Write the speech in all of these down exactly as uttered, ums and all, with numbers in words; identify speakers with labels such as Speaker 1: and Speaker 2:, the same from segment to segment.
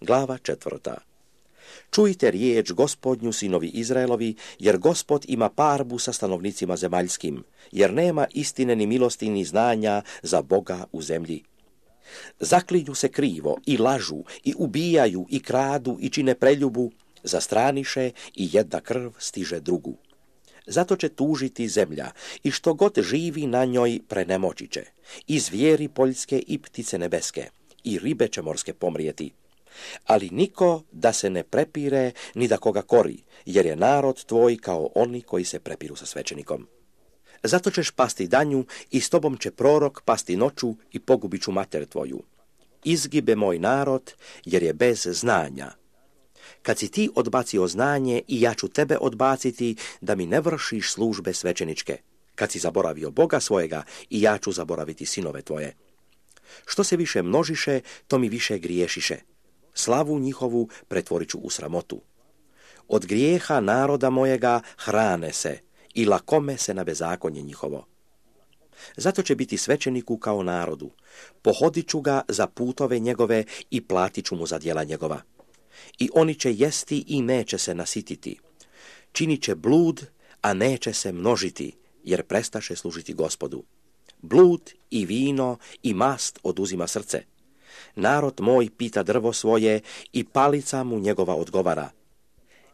Speaker 1: Glava četvrta. Čujte riječ Gospodnju, sinovi Izraelovi, jer Gospod ima parbu sa stanovnicima zemaljskim, jer nema istine ni milosti ni znanja za Boga u zemlji. Zaklinju se krivo i lažu i ubijaju i kradu i čine preljubu, zastraniše i jedna krv stiže drugu. Zato će tužiti zemlja i što god živi na njoj prenemoći će, i zvijeri poljske i ptice nebeske, i ribe će morske pomrijeti. Ali niko da se ne prepire ni da koga kori, jer je narod tvoj kao oni koji se prepiru sa svećenikom. Zato ćeš pasti danju i s tobom će prorok pasti noću i pogubit ću mater tvoju. Izgibe moj narod jer je bez znanja. Kad si ti odbacio znanje i ja ću tebe odbaciti da mi ne vršiš službe svećeničke. Kad si zaboravio Boga svojega i ja ću zaboraviti sinove tvoje. Što se više množiše, to mi više griješiše. Slavu njihovu pretvorit ću u sramotu. Od grijeha naroda mojega hrane se i lakome se na bezakonje njihovo. Zato će biti svećeniku kao narodu. Pohodit ću ga za putove njegove i platit ću mu za djela njegova. I oni će jesti i neće se nasititi. Činit će blud, a neće se množiti, jer prestaše služiti Gospodu. Blud i vino i mast oduzima srce. Narod moj pita drvo svoje i palica mu njegova odgovara.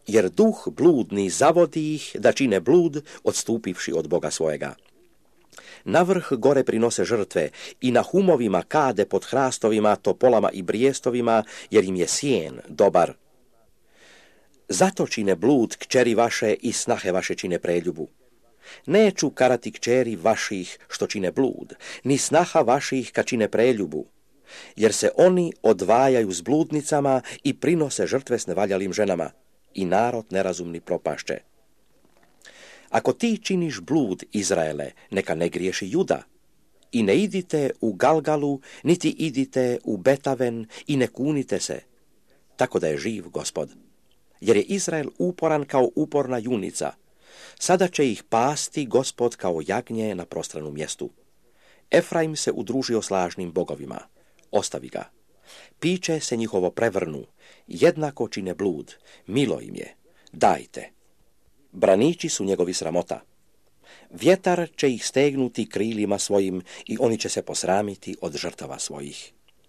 Speaker 1: Jer duh bludni zavodi ih da čine blud, odstupivši od Boga svojega. Na vrh gore prinose žrtve i na humovima kade pod hrastovima, topolama i brijestovima, jer im je sjen dobar. Zato čine blud kćeri vaše i snahe vaše čine preljubu. Neću karati kćeri vaših što čine blud, ni snaha vaših kad čine preljubu, jer se oni odvajaju s bludnicama i prinose žrtve s nevaljalim ženama, i narod nerazumni propašće. Ako ti činiš blud, Izraele, neka ne griješi Juda. I ne idite u Galgalu, niti idite u Betaven i ne kunite se, tako da je živ Gospod. Jer je Izrael uporan kao uporna junica. Sada će ih pasti Gospod kao jagnje na prostranom mjestu. Efraim se udružio s lažnim bogovima. Ostavi ga. Piće se njihovo prevrnu, jednako čine blud, milo im je, dajte. Braniči su njegovi sramota. Vjetar će ih stegnuti krilima svojim i oni će se posramiti od žrtava svojih.